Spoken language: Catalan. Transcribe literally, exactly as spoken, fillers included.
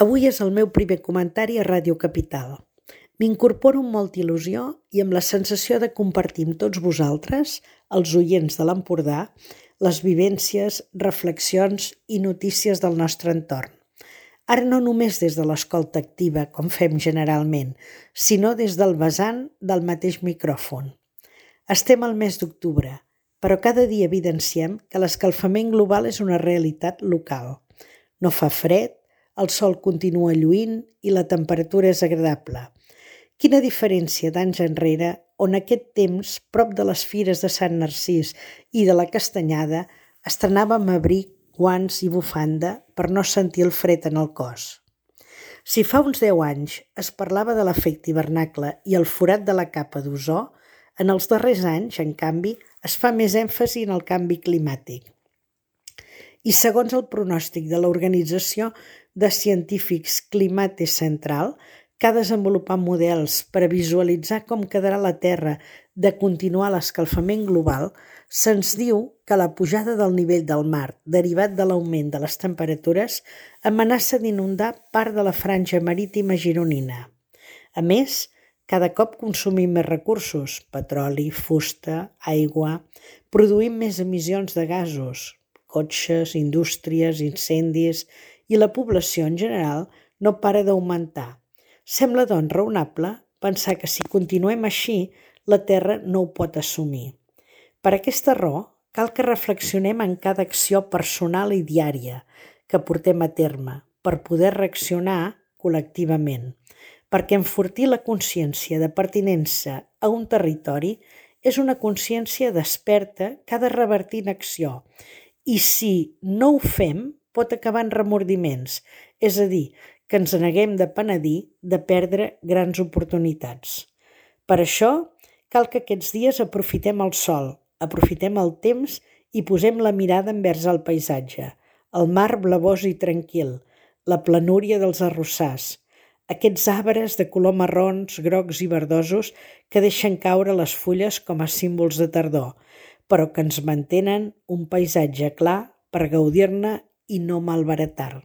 Avui és el meu primer comentari a Ràdio Capital. M'incorporo amb molta il·lusió i amb la sensació de compartir amb tots vosaltres, els oients de l'Empordà, les vivències, reflexions i notícies del nostre entorn. Ara no només des de l'escolta activa, com fem generalment, sinó des del vessant del mateix micròfon. Estem al mes d'octubre, però cada dia evidenciem que l'escalfament global és una realitat local. No fa fred, el sol continua lluint i la temperatura és agradable. Quina diferència d'anys enrere, on aquest temps, prop de les fires de Sant Narcís i de la Castanyada, estrenàvem abric, guants i bufanda per no sentir el fred en el cos. Si fa uns deu anys es parlava de l'efecte hivernacle i el forat de la capa d'ozó, en els darrers anys, en canvi, es fa més èmfasi en el canvi climàtic. I segons el pronòstic de l'Organització de Científics Climate Central, que ha desenvolupat models per a visualitzar com quedarà la Terra de continuar l'escalfament global, se'ns diu que la pujada del nivell del mar, derivat de l'augment de les temperatures, amenaça d'inundar part de la franja marítima gironina. A més, cada cop consumim més recursos, petroli, fusta, aigua, produïm més emissions de gasos, cotxes, indústries, incendis, i la població en general no para d'augmentar. Sembla, doncs, raonable pensar que si continuem així, la Terra no ho pot assumir. Per aquesta raó, cal que reflexionem en cada acció personal i diària que portem a terme per poder reaccionar col·lectivament, perquè enfortir la consciència de pertinença a un territori és una consciència desperta que ha de revertir en acció, i si no ho fem, pot acabar en remordiments, és a dir, que ens neguem de penedir de perdre grans oportunitats. Per això, cal que aquests dies aprofitem el sol, aprofitem el temps i posem la mirada envers el paisatge, el mar blavós i tranquil, la planúria dels arrossars, aquests arbres de color marrons, grocs i verdosos que deixen caure les fulles com a símbols de tardor, però que ens mantenen un paisatge clar per gaudir-ne i no malbaratar.